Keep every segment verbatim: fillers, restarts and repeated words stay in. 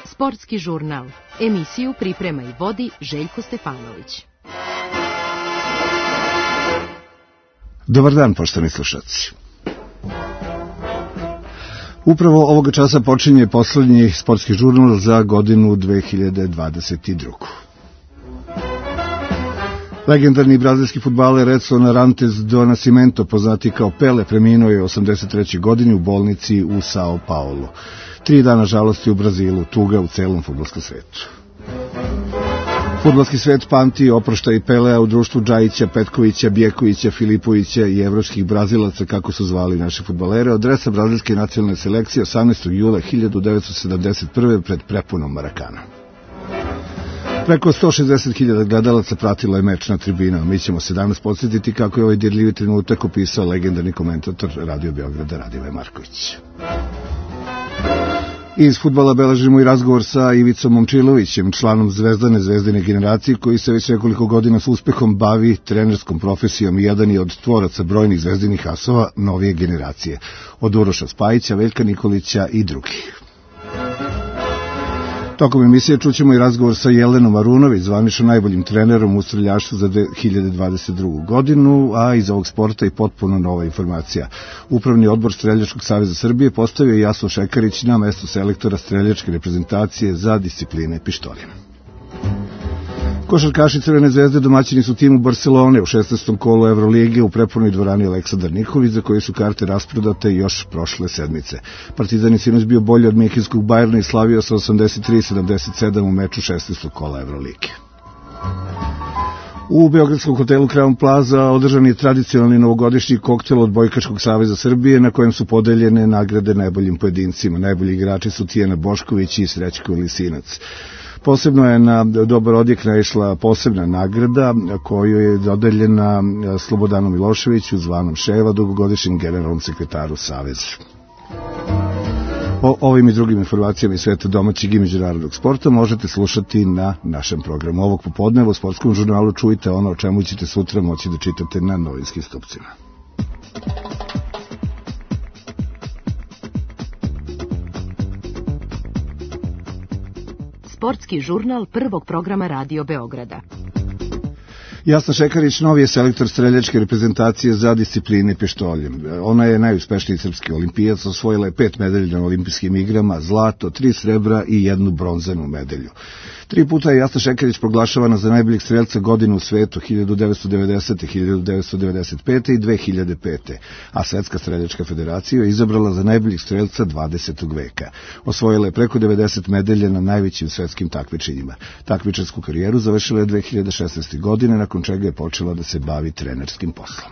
Sportski žurnal. Emisiju priprema i vodi Željko Stefanović. Dobar dan, poštovani slušaoci. Upravo ovoga časa počinje poslednji sportski žurnal za godinu dve hiljade dvadeset drugu. Legendarni brazilski fudbaler Edson Arantes do Nascimento, poznati kao Pele, preminuo je osamdeset treće godine u bolnici u São Paulo. Tri dana žalosti u Brazilu, tuga u celom fudbalskom svetu. Fudbalski svet pamti oproštaj Pelea u društvu Džajića, Petkovića, Bjekovića, Filipovića i evropskih Brazilaca, kako su zvali naše fudbalere, od dresa brazilske nacionalne selekcije osamnaestog jula hiljadu devetsto sedamdeset prve pred prepunom Marakana. Preko sto šezdeset hiljada gledalaca pratilo je meč na tribinama. Mi ćemo se danas podsjetiti kako je ovaj dirljivi trenutak opisao legendarni komentator Radio Beograda Radivoje Marković. Iz fudbala beležimo i razgovor sa Ivicom Momčilovićem, članom Zvezdane Zvezdine generacije, koji se već nekoliko godina s uspehom bavi trenerskom profesijom i jedan je od tvoraca brojnih zvezdinih asova novije generacije, od Uroša Spajića, Veljka Nikolića i drugih. Tokom emisije čućemo i razgovor sa Jelenom Arunović, zvanično najboljim trenerom u streljaštvu za dve hiljade dvadeset drugu godinu, a iz ovog sporta i potpuno nova informacija. Upravni odbor Streljačkog saveza Srbije postavio je Jasno Šekarić na mesto selektora streljačke reprezentacije za discipline pištoljem. Košarkaši Crvene zvezde domaćini su timu Barcelone u šesnaestom kolu Evrolige u prepunoj dvorani Aleksandar Nikolić, za koje su karte rasprodate još prošle sedmice. Partizan je sinoć bio bolji od Minhenskog Bajerna i slavio sa osamdeset tri sedamdeset sedam u meču šesnaestog kola Evrolige. U beogradskom hotelu Crown Plaza održan je tradicionalni novogodišnji koktel od Bojkaškog saveza Srbije, na kojem su podeljene nagrade najboljim pojedincima. Najbolji igrači su Tijana Bošković i Srećko Lisinac. Posebno je na dobar odjek naišla posebna nagrada koju je dodeljena Slobodanu Miloševiću, zvanom Ševa, dugogodišnjem generalnom sekretaru Saveza. O ovim i drugim informacijama iz sveta domaćeg i međunarodnog sporta možete slušati na našem programu. Ovog popodneva u sportskom žurnalu čujte ono o čemu ćete sutra moći da čitate na novinskim stupcima. Sportski žurnal prvog programa Radio Beograda. Jasna Šekarić novi je selektor streljačke reprezentacije za discipline pištoljem. Ona je najuspešniji srpski olimpijac, osvojila je pet medalja na olimpijskim igrama, zlato, tri srebra i jednu bronzanu medalju. Tri puta je Jasna Šekarić proglašavana za najboljeg strelca godine u svetu, hiljadu devetsto devedesete, hiljadu devetsto devedeset pete i dve hiljade pete, a Svetska streljačka federacija je izabrala za najboljeg strelca dvadesetog veka. Osvojila je preko devedeset medalja na najvećim svetskim takmičenjima. Takmičarsku karijeru završila je dve hiljade šesnaeste. godine, nakon čega je počela da se bavi trenerskim poslom.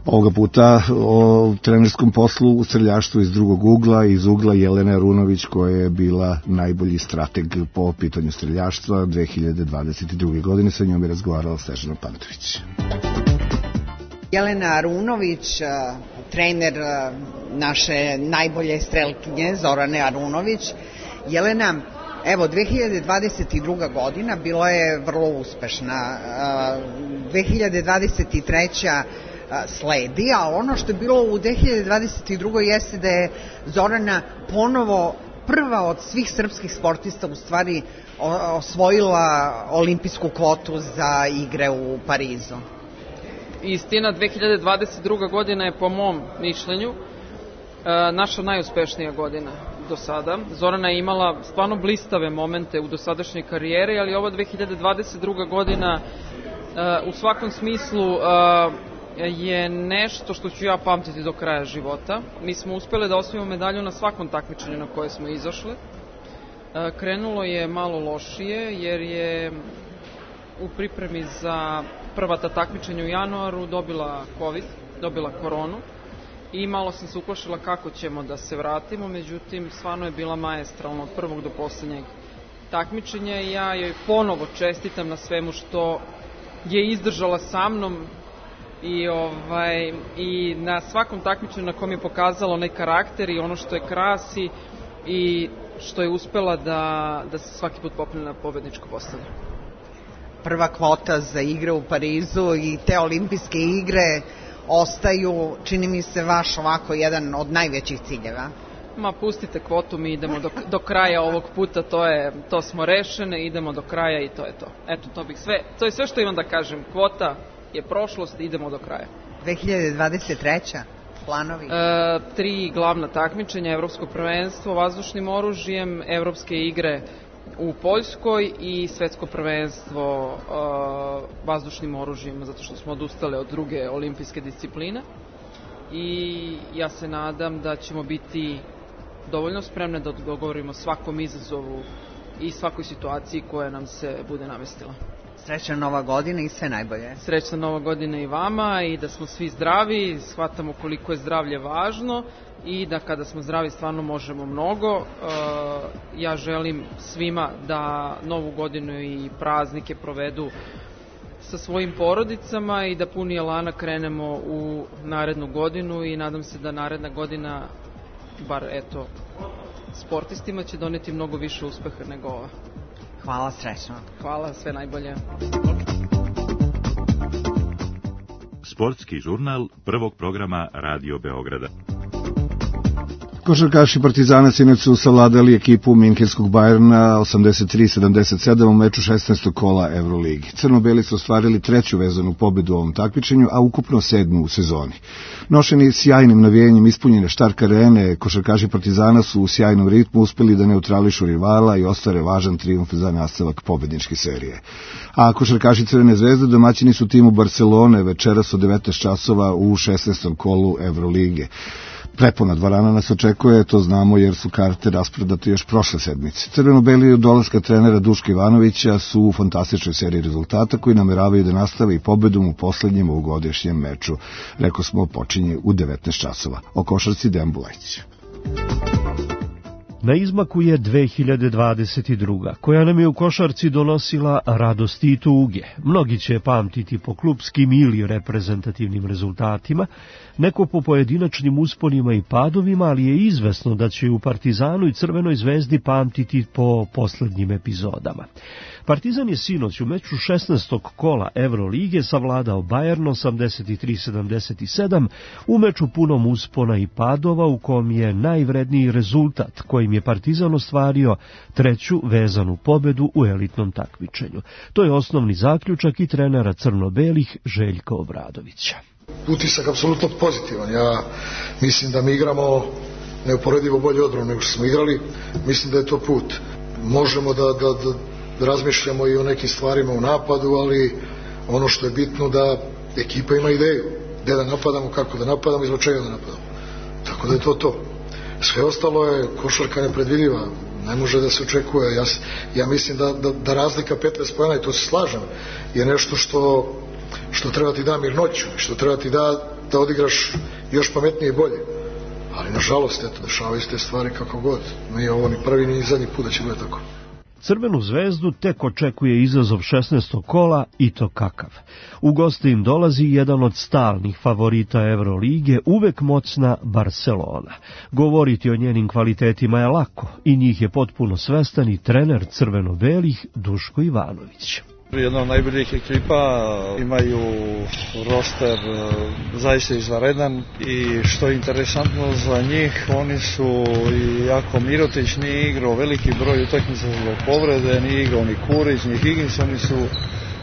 Ovoga puta o trenerskom poslu u streljaštvu iz drugog ugla, iz ugla Jelene Arunović, koja je bila najbolji strateg po pitanju streljaštva dve hiljade dvadeset druge. godine. Sa njom je razgovarala Snežana Pantović. Jelena Arunović, trener naše najbolje strelkinje Zorane Arunović. Jelena, evo, dve hiljade dvadeset druga. godina bila je vrlo uspešna. dve hiljade dvadeset treća. sledi, a ono što je bilo u dve hiljade dvadeset drugoj. jeste da je Zorana ponovo prva od svih srpskih sportista u stvari osvojila olimpijsku kvotu za igre u Parizu. Istina, dve hiljade dvadeset druga. godina je po mom mišljenju naša najuspešnija godina do sada. Zorana je imala stvarno blistave momente u dosadašnjoj karijeri, ali ova dve hiljade dvadeset druga. godina u svakom smislu je nešto što ću ja pamtiti do kraja života. Mi smo uspjeli da osvojimo medalju na svakom takmičenju na koje smo izašli. Krenulo je malo lošije jer je u pripremi za prva ta takmičenja u januaru dobila COVID, dobila koronu i malo sam se uplašila kako ćemo da se vratimo, međutim stvarno je bila maestralna od prvog do posljednjeg takmičenja i ja joj ponovo čestitam na svemu što je izdržala sa mnom i, ovaj, i na svakom takmičenju na kom je pokazala onaj karakter i ono što je krasi i što je uspela da, da se svaki put popne na pobedničko postavlje. Prva kvota za igre u Parizu i te olimpijske igre ostaju, čini mi se, vaš ovako jedan od najvećih ciljeva? Ma pustite kvotu, mi idemo do, do kraja ovog puta, to je, to smo rešene, idemo do kraja i to je to. Eto, to bih sve, to je sve što imam da kažem, kvota je prošlost, idemo do kraja. dve hiljade dvadeset treća planovi? E, tri glavna takmičenja, evropsko prvenstvo vazdušnim oružjem, evropske igre u Poljskoj i svetsko prvenstvo uh, vazdušnim oružjem, zato što smo odustali od druge olimpijske discipline. I ja se nadam da ćemo biti dovoljno spremne da odgovorimo svakom izazovu i svakoj situaciji koja nam se bude namestila. Srećna nova godina i sve najbolje. Srećna nova godina i vama i da smo svi zdravi, shvatamo koliko je zdravlje važno i da kada smo zdravi stvarno možemo mnogo. Ja želim svima da novu godinu i praznike provedu sa svojim porodicama i da puni elana krenemo u narednu godinu i nadam se da naredna godina, bar eto, sportistima će doneti mnogo više uspeha nego ova. Hvala, srećno. Hvala, sve najbolje. Sportski žurnal prvog programa Radio Beograda. Košarkaši Partizana sinoć su savladali ekipu minhenskog Bajerna osamdeset tri sedamdeset sedam u meču šesnaestog kola Evroligi. Crno-beli su ostvarili treću vezanu pobedu u ovom takmičenju, a ukupno sedmu u sezoni. Nošeni sjajnim navijenjem ispunjene Štark arene, košarkaši Partizana su u sjajnom ritmu uspeli da neutrališu rivala i ostvare važan trijumf za nastavak pobedničke serije. A košarkaši Crvene zvezde domaćini su timu Barcelone večeras od devetnaest časova u šesnaestom kolu Evrolige. Prepuna dvorana nas očekuje, to znamo jer su karte rasprodate još prošle sedmice. Crveno-beli od dolaska trenera Duška Ivanovića su u fantastičnoj seriji rezultata koji nameravaju da nastave i pobedom u poslednjem ovogodišnjem meču. Rekao smo, počinje u devetnaest časova. O košarci Dejan Bulajić. Na izmaku je dve hiljade dvadeset druga, koja nam je u košarci donosila radosti i tuge. Mnogi će pamtiti po klupskim ili reprezentativnim rezultatima, neko po pojedinačnim usponima i padovima, ali je izvesno da će u Partizanu i Crvenoj zvezdi pamtiti po poslednjim epizodama. Partizan je sinoć u meču šesnaestog kola Evrolige savladao Bayern osamdeset tri sedamdeset sedam u meču punom uspona i padova u kom je najvredniji rezultat kojim je Partizan ostvario treću vezanu pobedu u elitnom takmičenju. To je osnovni zaključak i trenera crno-belih Željka Obradovića. Utisak apsolutno pozitivan. Ja mislim da mi igramo neuporedivo bolje odbranu nego što smo igrali. Mislim da je to put. Možemo da, da, da razmišljamo i o nekim stvarima u napadu, ali ono što je bitno da ekipa ima ideju. Gde da napadamo, kako da napadamo i zbog čega da napadamo. Tako da je to to. Sve ostalo je košarka nepredvidiva. Ne može da se očekuje. Ja, ja mislim da, da, da razlika petnaest poena, i to se slažem, je nešto što što treba ti da mirnoću, što treba ti da, da odigraš još pametnije i bolje. Ali nažalost, eto, dešavaju se te stvari kako god. Nije ovo ni prvi ni zadnji put da će bude tako. Crvenu zvezdu tek očekuje izazov šesnaestog kola i to kakav. U goste im dolazi jedan od stalnih favorita Evrolige, uvek moćna Barcelona. Govoriti o njenim kvalitetima je lako i njih je potpuno svestan i trener crveno-belih Duško Ivanović. Jedna od najboljih ekipa, imaju roster zaista izvanredan i što je interesantno za njih, oni su i jako Mirotić nije igrao veliki broj utakmica zbog povrede, nije igrao ni Kurić, ni Higgins, oni su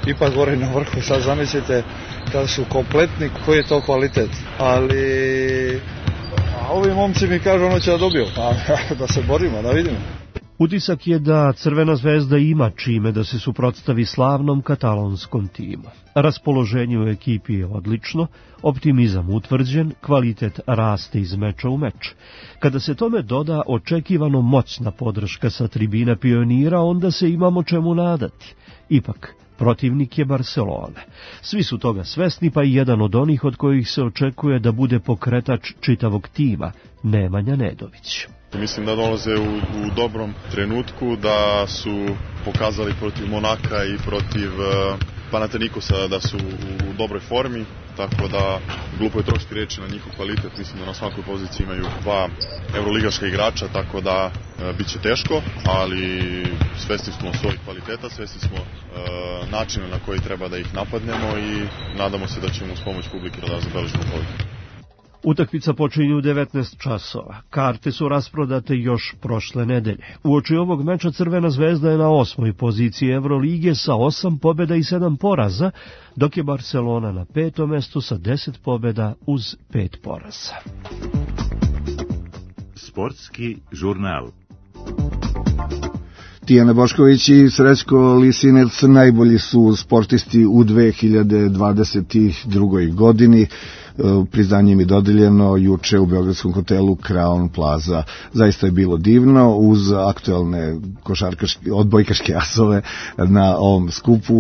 ipak gore na vrhu. Sad zamislite kada su kompletni, koji je to kvalitet. Ali a ovi momci mi kažu ono će da dobiju, pa da se borimo, da vidimo. Utisak je da Crvena zvezda ima čime da se suprotstavi slavnom katalonskom timu. Raspoloženje u ekipi je odlično, optimizam utvrđen, kvalitet raste iz meča u meč. Kada se tome doda očekivano moćna podrška sa tribina Pionira, onda se imamo čemu nadati. Ipak, protivnik je Barcelona. Svi su toga svesni, pa i jedan od onih od kojih se očekuje da bude pokretač čitavog tima, Nemanja Nedović. Mislim da dolaze u, u dobrom trenutku, da su pokazali protiv Monaka i protiv uh, Panathinaikosa da su u dobroj formi. tako da glupo je trošiti reči na njihov kvalitet. Mislim da na svakoj poziciji imaju dva evroligaška igrača, tako da e, bit će teško, ali svesni smo svojih kvaliteta, svesni smo e, načina na koji treba da ih napadnemo i nadamo se da ćemo uz pomoć publike da zabeležimo pobedu. Utakmica počinje u devetnaest časova. Karte su rasprodate još prošle nedelje. Uoči ovog meča Crvena zvezda je na osmoj poziciji Evrolige sa osam pobjeda i sedam poraza, dok je Barcelona na petom mestu sa deset pobjeda uz pet poraza. Sportski žurnal. Tijana Bošković i Srećko Lisinec najbolji su sportisti u dve hiljade dvadeset drugoj godini. Priznanje im je dodeljeno juče u beogradskom hotelu Crown Plaza. Zaista je bilo divno, uz aktuelne košarkaške, odbojkaške asove na ovom skupu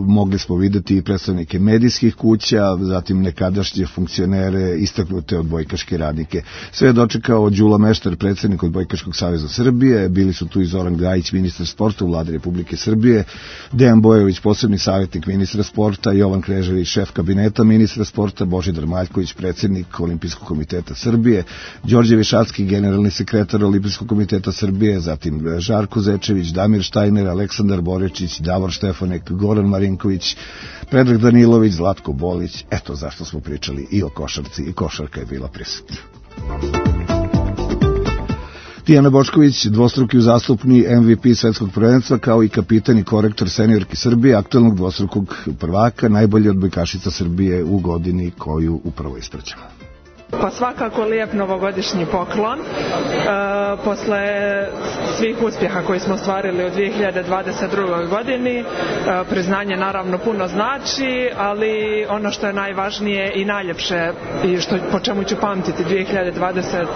mogli smo videti predstavnike medijskih kuća, zatim nekadašnje funkcionere, istaknute odbojkaške radnike. Sve je dočekao Đula Meštar, predsjednik Odbojkaškog saveza Srbije, bili su tu i Zoran Gajić, ministar sporta u Vladi Republike Srbije, Dejan Bojović, posebni savjetnik ministra sporta, Jovan Krežević, šef kabineta ministra sporta, Božidar Maljković, predsjednik Olimpijskog komiteta Srbije, Đorđe Višacki, generalni sekretar Olimpijskog komiteta Srbije, zatim Žarko Zečević, Damir Štajner, Aleksandar Borečić, Davor Štefanek, Goran Marinković, Predrag Danilović, Zlatko Bolić. Eto zašto smo pričali i o košarci, i košarka je bila prisutna. Tijana Bošković, dvostruki uzastopni M V P svetskog prvenstva, kao i kapitan i korektor seniorki Srbije, aktualnog dvostrukog prvaka, najbolja odbojkašica Srbije u godini koju upravo ispraćamo. Pa svakako lijep novogodišnji poklon. E, posle svih uspjeha koji smo ostvarili u dve hiljade dvadeset drugoj godini, e, priznanje naravno puno znači, ali ono što je najvažnije i najljepše i što, po čemu ću pamtiti dve hiljade dvadeset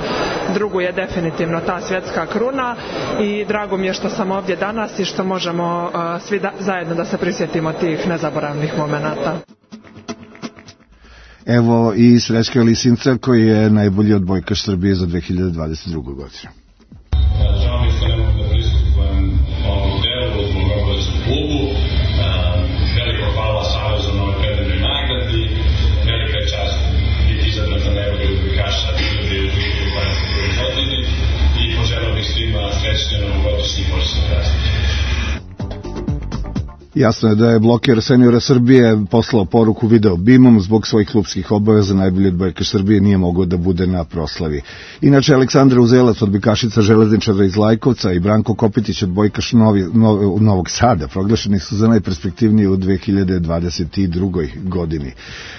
drugu je definitivno ta svjetska kruna i drago mi je što sam ovdje danas i što možemo e, svi da, zajedno da se prisjetimo tih nezaboravnih momenata. Evo i Srećka Lisinca koji je najbolji odbojkaš Srbije za dve hiljade dvadeset drugu godinu. Žao mi što ne mogu da pristupujem ovom delu zbog obaveznog klubu. Veliko hvala Savezu na ovoj predivnoj nagradi. Velika je čast biti izabran za najbolji odbojkaša Srbije u dve hiljade dvadeset drugoj godini i poželeo bih svima srećne novogodišnji i božićni praznik. Jasno je da je bloker seniora Srbije poslao poruku video bimom zbog svojih klubskih obaveza. Najbolji odbojkaš Srbije nije mogao da bude na proslavi. Inače, Aleksandra Uzelac, odbojkašica Železničara iz Lajkovca, i Branko Kopitić, odbojkaš Novi, Nov, Novog Sada, proglašeni su za najperspektivniji u dve hiljade dvadeset drugoj godini.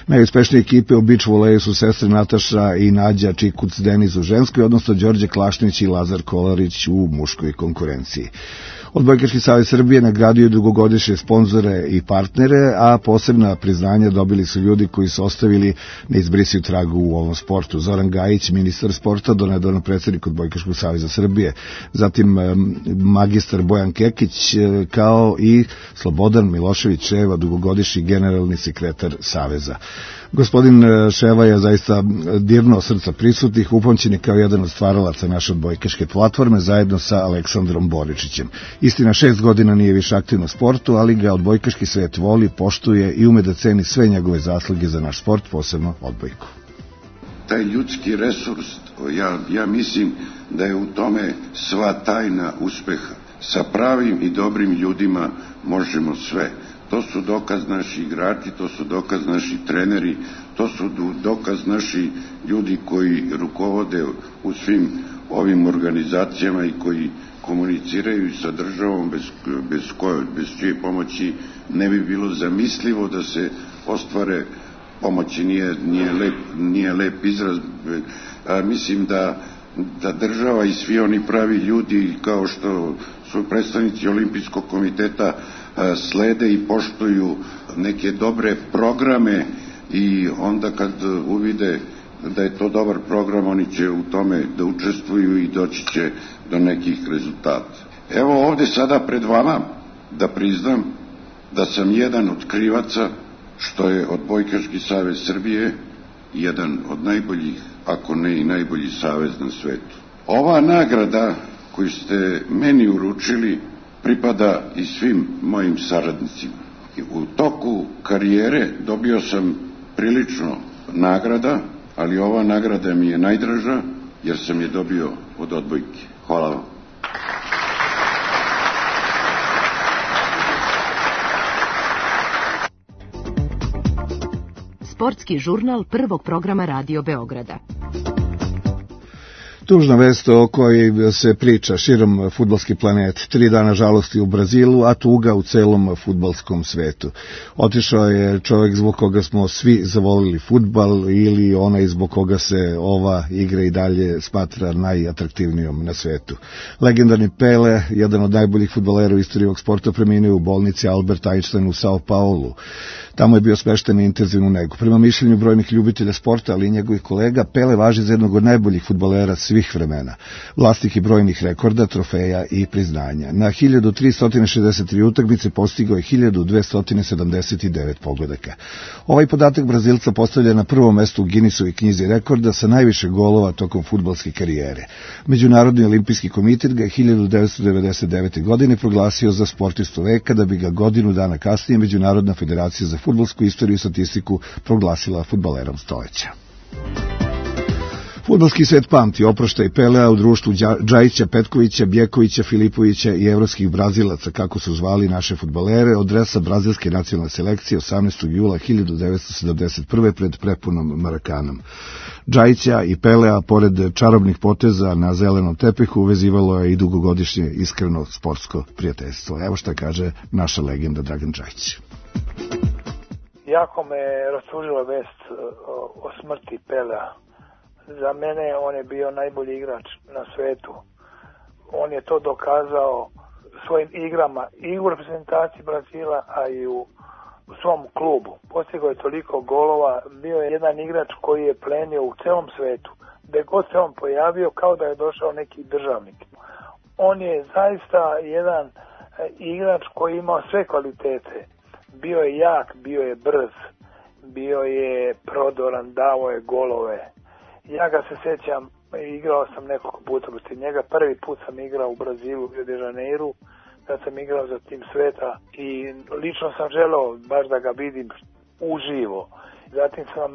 Najuspešnije ekipe u beach voleju su sestre Nataša i Nađa Čikuc Deniz u ženskoj, odnosno Đorđe Klašnić i Lazar Kolarić u muškoj konkurenciji. Odbojkaški savez Srbije nagradio dugogodišnje sponzore i partnere, a posebna priznanja dobili su ljudi koji su ostavili neizbrisiv trag u ovom sportu. Zoran Gajić, ministar sporta, donedavno predsjednik Odbojkaškog saveza Srbije, zatim magistar Bojan Kekić, kao i Slobodan Milošević Ševa, dugogodišnji generalni sekretar saveza. Gospodin Ševa je zaista dirnuo srca prisutnih, upamćen je kao jedan od stvaralaca naše odbojkaške platforme zajedno sa Aleksandrom Boričićem. Istina, šest godina nije više aktivno u sportu, ali ga odbojkaški svet voli, poštuje i ume da ceni sve njegove zasluge za naš sport, posebno odbojku. Taj ljudski resurs, ja, ja mislim da je u tome sva tajna uspeha. Sa pravim i dobrim ljudima možemo sve. To su dokaz naši igrači, to su dokaz naši treneri, to su dokaz naši ljudi koji rukovode u svim ovim organizacijama i koji komuniciraju sa državom bez, bez, koje, bez čije pomoći ne bi bilo zamislivo da se ostvare pomoći. Nije, nije, lep, nije lep izraz. A, mislim da, da država i svi oni pravi ljudi kao što su predstavnici Olimpijskog komiteta slede i poštuju neke dobre programe i onda kad uvide da je to dobar program, oni će u tome da učestvuju i doći će do nekih rezultata. Evo ovde sada pred vama da priznam da sam jedan od krivaca što je Odbojkaški savez Srbije jedan od najboljih, ako ne i najbolji savez na svetu. Ova nagrada koju ste meni uručili pripada i svim mojim saradnicima. U toku karijere dobio sam prilično nagrada, ali ova nagrada mi je najdraža jer sam je dobio od odbojke. Hvala vam. Sportski žurnal prvog programa Radio Beograda. Tužna vest o kojoj se priča širom fudbalski planet. Tri dana žalosti u Brazilu, a tuga u celom fudbalskom svetu. Otišao je čovjek zbog koga smo svi zavolili fudbal ili onaj zbog koga se ova igra i dalje smatra najatraktivnijom na svetu. Legendarni Pele, jedan od najboljih fudbalera u istoriji ovog sporta, preminuo u bolnici Albert Einstein u Sao Paulu. Tamo je bio smešten i intenzivnu negu. Prema mišljenju brojnih ljubitelja sporta, ali i njegovih kolega, Pele važi za jednog od najboljih fudbalera svih vremena. Vlasnik i brojnih rekorda, trofeja i priznanja. Na hiljadu tristo šezdeset tri utakmice postigao je hiljadu dvesta sedamdeset devet pogodaka. Ovaj podatak Brazilca postavlja na prvom mestu u Guinnessovoj knjizi rekorda sa najviše golova tokom fudbalske karijere. Međunarodni olimpijski komitet ga je hiljadu devetsto devedeset devete. godine proglasio za sportistu veka, da bi ga godinu dana kasnije Međunarodna federacija za fudbalsku istoriju i statistiku proglasila fudbalerom stoleća. Fudbalski svet pamti oproštaj Pelea u društvu Džajića, Petkovića, Bjekovića, Filipovića i evropskih Brazilaca, kako su zvali naše fudbalere, od dresa brazilske nacionalne selekcije osamnaestog jula hiljadu devetsto sedamdeset prve. pred prepunom Marakanom. Džajića i Pelea, pored čarobnih poteza na zelenom tepihu, uvezivalo je i dugogodišnje iskreno sportsko prijateljstvo. Evo šta kaže naša legenda Dragan Džajić. Jako me rastužila vest o smrti Pelea. Za mene on je bio najbolji igrač na svetu. On je to dokazao svojim igrama i u reprezentaciji Brazila, a i u, u svom klubu. Postigao je toliko golova, bio je jedan igrač koji je plenio u celom svetu. Gde god se on pojavio, kao da je došao neki državnik. On je zaista jedan igrač koji imao sve kvalitete. Bio je jak, bio je brz, bio je prodoran, dao je golove. Ja ga se sjećam, igrao sam nekoliko puta protiv njega. Prvi put sam igrao u Brazilu, u Rio de Janeiru, kad sam igrao za tim sveta i lično sam želeo baš da ga vidim uživo. Zatim sam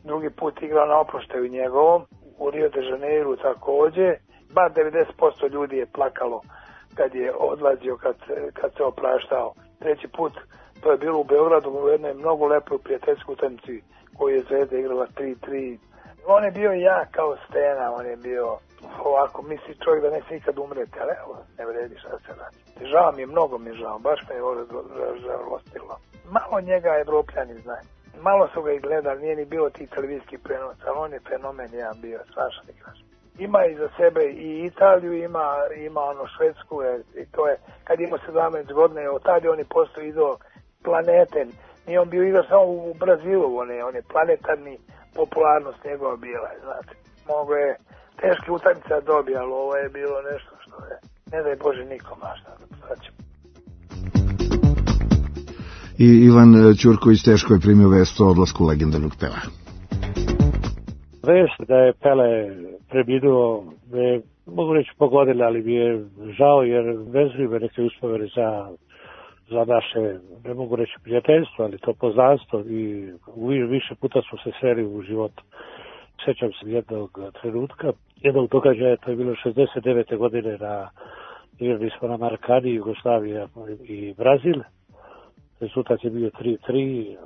drugi put igrao na oproštaju njegovom, u Rio de Janeiru također. Bar devedeset posto ljudi je plakalo kad je odlazio, kad, kad se opraštao. Treći put, to je bilo u Beogradu, u jednoj mnogo lepoj prijateljskoj utakmici koju je Zvezda igrala tri tri. On je bio jak kao stena, on je bio ovako, misli čovjek da neće nikad umreti, ali evo, ne vredi šta se radi. Žao mi je, mnogo mi je žao, baš me je ovo žalostilo. Malo njega Evropljani znaju. Malo su ga i gledali, nije ni bilo tih televizijskih prenosa, ali on je fenomen jedan bio, strašan igrač. Ima iza sebe i Italiju, ima, ima ono Švedsku, i to je, kad ima sedamnaest godina, od tada on je postao idol planete. Nije on bio igrač samo u Brazilu, on je, on je planetarni, popularnost njegova bila, znate. Mogo je teški utakmica dobija, ali ovo je bilo nešto što je, ne daj Bože nikom, a šta da ćemo. I Ivan Ćurković teško je primio vest o odlasku legendarnog Pelea. Vest da je Pele preminuo me, mogu reći pogodila, ali mi je žao jer vezuju me neke uspomene za za naše, ne mogu reći prijateljstvo, ali to poznanstvo i više puta smo se sreli u životu. Sjećam se jednog trenutka, jednog događaja, to je bilo šezdeset devete. godine, na, igrali smo na Marakani, Jugoslavija i Brazil. Rezultat je bio tri tri,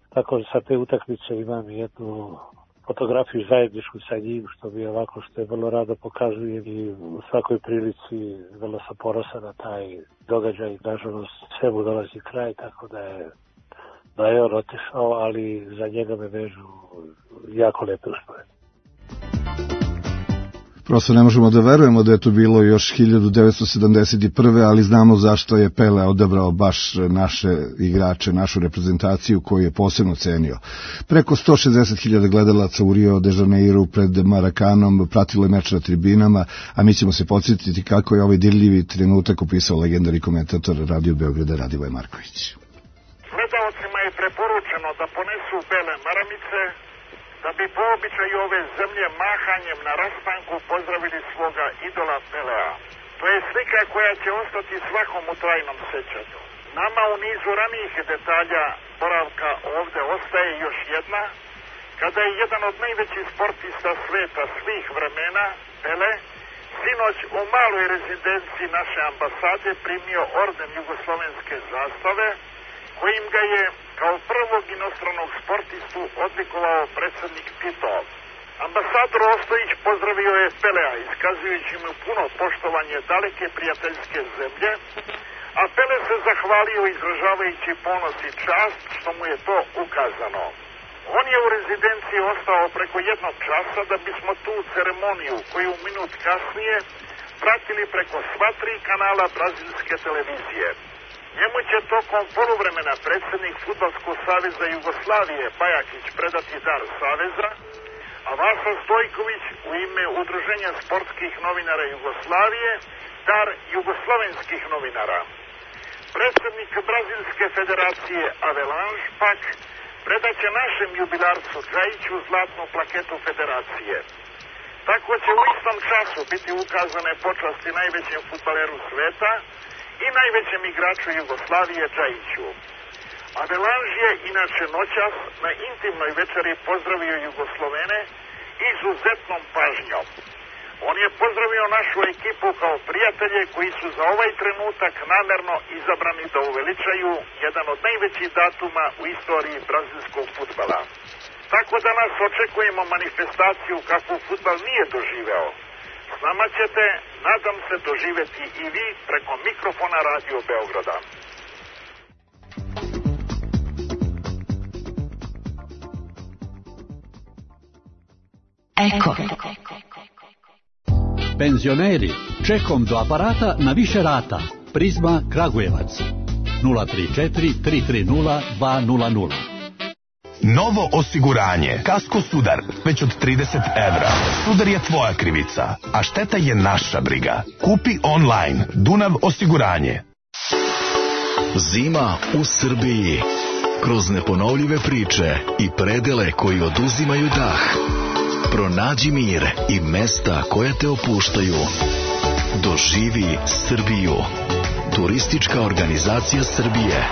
tako sa te utakmice imam jednu fotografiju zajedničku sa njim, što bi ovako, što je vrlo rado pokazujem i u svakoj prilici vrlo sam ponosan na taj događaj. Nažalost, sve mu dolazi kraj, tako da je, da je on otišao, ali za njega me vežu jako lepe uspomene. Prosto ne možemo da verujemo da je to bilo još hiljadu devetsto sedamdeset prve. ali znamo zašto je Pele odabrao baš naše igrače, našu reprezentaciju koju je posebno cenio. Preko sto šezdeset hiljada gledalaca u Rio de Janeiru pred Marakanom pratilo je meč na tribinama, a mi ćemo se podsjetiti kako je ovaj dirljivi trenutak opisao legendar i komentator Radio Beograda Radivoj Marković. Gledalcima je preporučeno da ponesu bele maramice, da bi po običaju ove zemlje mahanjem na rastanku pozdravili svoga idola Pelea. To je slika koja će ostati svakom u trajnom sećanju. Nama u nizu ranijih detalja boravka ovde ostaje još jedna, kada je jedan od najvećih sportista sveta svih vremena, Pele, sinoć u maloj rezidenciji naše ambasade primio orden jugoslovenske zastave, kojim ga je kao prvog inostranog sportistu odlikovao predsednik Tito. Ambasador Ostojić pozdravio je Pelea, iskazujući mu puno poštovanje daleke prijateljske zemlje, a Pele se zahvalio izražavajući ponos i čast što mu je to ukazano. On je u rezidenciji ostao preko jednog časa da bismo tu ceremoniju, koju minut kasnije pratili preko sva tri kanala brazilske televizije. Njemu će tokom poluvremena predsednik Fudbalskog saveza Jugoslavije Bajakić predati dar saveza, a Vasa Stojković u ime Udruženja sportskih novinara Jugoslavije dar jugoslovenskih novinara. Predsednik Brazilske federacije Avelange pak predaće našem jubilarcu Džajiću zlatnu plaketu federacije. Tako će u istom času biti ukazane počasti najvećem fudbaleru sveta i najvećem igraču Jugoslavije Džajiću. Avelange je inače noćas na intimnoj večeri pozdravio Jugoslovene izuzetnom pažnjom. On je pozdravio našu ekipu kao prijatelje koji su za ovaj trenutak namerno izabrani da uveličaju jedan od najvećih datuma u istoriji brazilskog fudbala. Tako da nas očekujemo manifestaciju kakvu fudbal nije doživeo. S nama ćete, nadam se, doživeti i vi preko mikrofona Radio Beograda. Eko. Penzioneri, čekom do aparata na više rata. Prizma Kragujevac. nula tri četiri tri tri nula dva nula nula. Novo osiguranje. Kasko Sudar. Već od trideset evra. Sudar je tvoja krivica, a šteta je naša briga. Kupi online. Dunav osiguranje. Zima u Srbiji. Kroz neponovljive priče i predele koji oduzimaju dah. Pronađi mir i mesta koja te opuštaju. Doživi Srbiju. Turistička organizacija Srbije.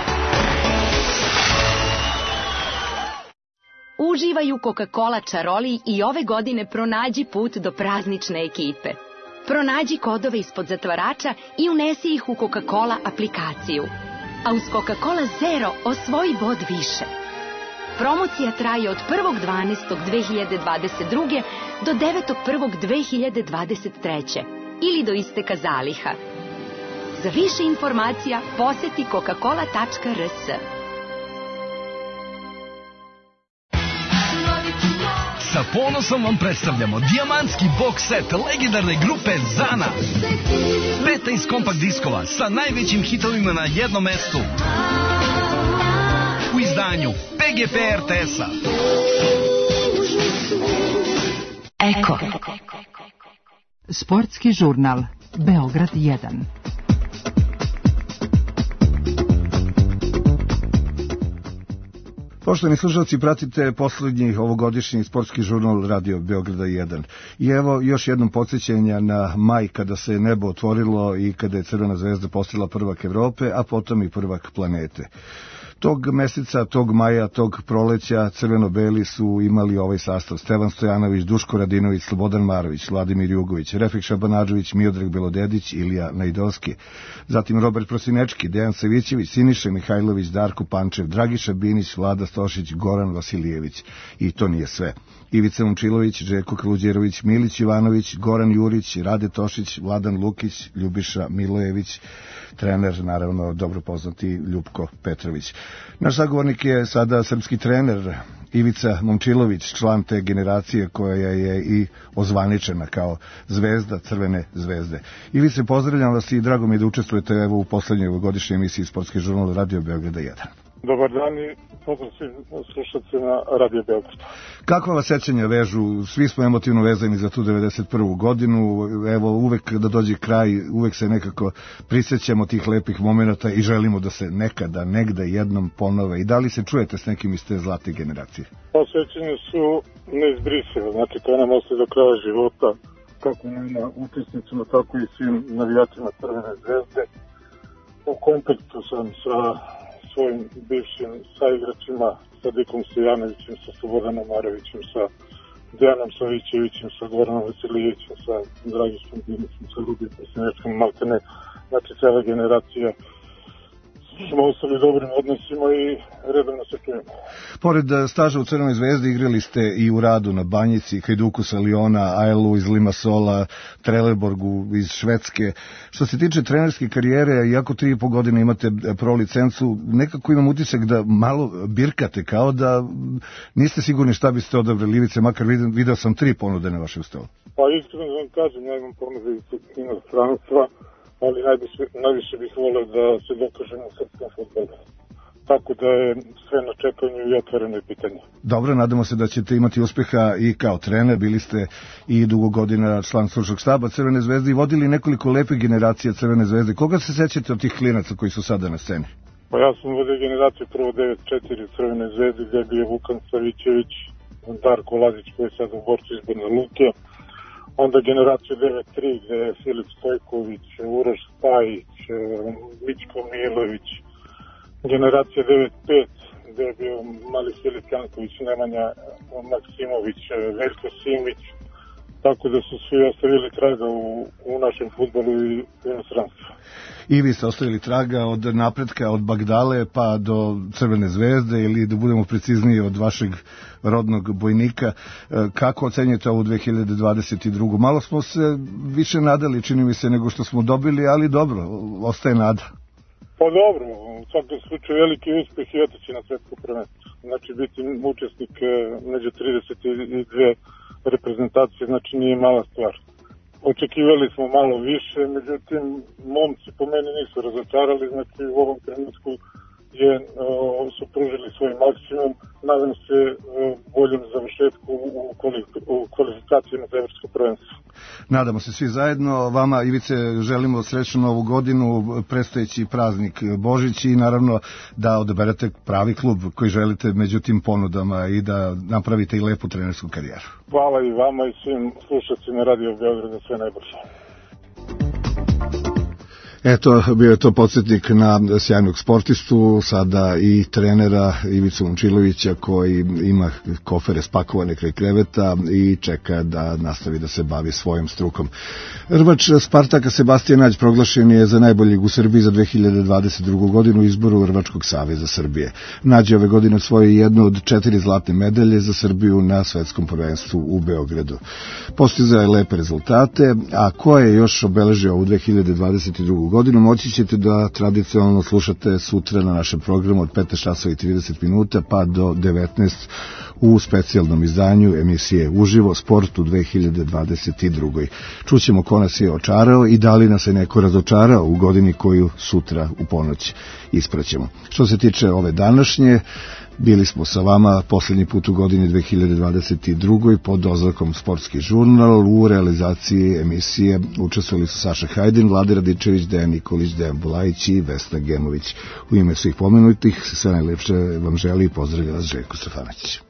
Uživaj u Coca-Cola čaroli i ove godine pronađi put do praznične ekipe. Pronađi kodove ispod zatvarača i unesi ih u Coca-Cola aplikaciju. A uz Coca-Cola Zero osvoji bod više. Promocija traje od prvog dvanaestog dve hiljade dvadeset druge do devetog prvog dve hiljade dvadeset treće ili do isteka zaliha. Za više informacija poseti coca cola tačka r s. Sa ponosom vam predstavljamo dijamantski box set legendarne grupe Zana. petnaest kompakt diskova sa najvećim hitovima na jednom mestu. U izdanju P G P R T S-a. Eko. Sportski žurnal Beograd jedan. Poštovani slušalci, pratite poslednji ovogodišnji sportski žurnal Radio Beograda jedan. I evo još jednom podsjećanja na maj kada se nebo otvorilo i kada je Crvena zvezda postala prvak Evrope, a potom i prvak planete. Tog meseca, tog maja, tog proleća crveno-beli su imali ovaj sastav: Stevan Stojanović, Duško Radinović, Slobodan Marović, Vladimir Jugović, Refik Šabanadžović, Miodrag Belodedić, Ilija Najdovski, zatim Robert Prosinečki, Dejan Savićević, Siniša Mihajlović, Darko Pančev, Dragiša Binić, Vlada Stošić, Goran Vasilijević. I to nije sve. Ivica Momčilović, Željko Kaluđerović, Milić Ivanović, Goran Jurić, Rade Tošić, Vladan Lukić, Ljubiša Milojević, trener, naravno, dobro poznati Ljupko Petrović. Naš sagovornik je sada srpski trener Ivica Momčilović, član te generacije koja je i ozvaničena kao zvezda Crvene zvezde. Ivice, pozdravljam vas i drago mi je da učestvujete evo u poslednjoj godišnjoj emisiji Sportski žurnal Radio Beograda jedan. Dobar dan i pozdrav svim slušalcima Radio Beograda. Kakva vas sećanja vežu? Svi smo emotivno vezani za tu devedeset prvu godinu. Evo, uvek da dođe kraj, uvek se nekako prisjećamo tih lepih momenta i želimo da se nekada, negde jednom ponove. I da li se čujete s nekim iz te zlate generacije? Sećanja su neizbrisive, znači to nam ostaje do kraja života, kako nama učesnicima, tako i svim navijačima Crvene zvezde. U kontaktu sam sa svojim bivšim saigračima, sa Dikom Stojanovićem, sa Slobodanom Marovićem, sa Dejanom Savićevićem, sa Goranom Vasilijevićem, sa Dragišom Dinicom, sa Lubijem Pesnečkom, maltene, znači cela generacija smo ostali dobrim odnosima i redovno se čujemo. Pored staža u Crvenoj zvezdi igrali ste i u Radu na Banjici, Hajduku sa Liona, Ajlu iz Limassola, Trelleborgu iz Švedske. Što se tiče trenerske karijere, iako tri i po godine imate pro licencu, nekako imam utisak da malo birkate, kao da niste sigurni šta biste odabrali Ivice, makar video sam tri ponude na vašem stolu. Pa iskreno vam kažem, ja imam ponude iz inostranstva, ali najviše, najviše bih voleo da se dokažem u srpskom fudbalu. Tako da je sve na čekanju i otvoreno je pitanje. Dobro, nadamo se da ćete imati uspeha i kao trener. Bili ste i dugo godina član stručnog štaba Crvene zvezde i vodili nekoliko lepih generacija Crvene zvezde. Koga se sećate od tih klinaca koji su sada na sceni? Pa ja sam vodio generaciju prvo devet četiri Crvene zvezde, gde je bio Vukan Savićević, Darko Lazić koji je sad u borcu iz Banja Luke. Onda generaciju devet tri gde je Filip Stojković, Uroš Spajić, Mićko Milović. Generacija devet pet gde je bio mali Filip Janković, Nemanja Maksimović, Veljko Simić. Tako da su svi ostavili traga u, u našem fudbalu i inostranstvu. I vi ste ostavili traga od napretka, od Bagdale pa do Crvene zvezde, ili da budemo precizniji od vašeg rodnog bojnika. Kako ocenjujete ovu dve hiljade dvadeset drugu? Malo smo se više nadali, čini mi se, nego što smo dobili, ali dobro, ostaje nada. Pa dobro, u svakom slučaju veliki uspeh i otići na svetsko prvenstvo. Znači biti učesnik među trideset dve reprezentacije, znači nije mala stvar. Očekivali smo malo više, međutim, momci po meni nisu razočarali, znači u ovom trenutku je, o, su pružili svoj maksimum, nadam se o, boljem završetku u, u kvalifikacijama za evropsko prvenstvo. Nadamo se svi zajedno. Vama, Ivice, želimo srećnu novu godinu, predstojeći praznik Božić i naravno da odaberete pravi klub koji želite među tim ponudama i da napravite i lepu trenersku karijeru. Hvala i vama i svim slušacima Radio Beograda, sve najbolje. Eto, bio je to podsjetnik na sjajnog sportistu, sada i trenera Ivicu Momčilovića, koji ima kofere spakovane kraj kreveta i čeka da nastavi da se bavi svojom strukom. Rvač Spartaka Sebastijan Nađ proglašen je za najboljeg u Srbiji za dve hiljade dvadeset drugu godinu u izboru Rvačkog saveza Srbije. Nađ je ove godine osvojio jednu od četiri zlatne medalje za Srbiju na svetskom prvenstvu u Beogradu. Postizao je lepe rezultate, a ko je još obeležio ovu dve hiljade dvadeset drugu godinu, moći ćete da tradicionalno slušate sutra na našem programu od petnaest časova i trideset minuta pa do devetnaest u specijalnom izdanju emisije Uživo sport u dve hiljade dvadeset drugoj. Čućemo ko nas je očarao i da li nas je neko razočarao u godini koju sutra u ponoć ispraćemo. Što se tiče ove današnje, bili smo sa vama posljednji put u godini dve hiljade dvadeset drugoj pod oznakom Sportski žurnal. U realizaciji emisije učestvovali su Saša Hajdin, Vlade Radičević, Dejan Nikolić, Dejan Bulajić i Vesna Gemović. U ime svih pomenutih sve najlepše vam želi i pozdravlja vas Željko Stefanović.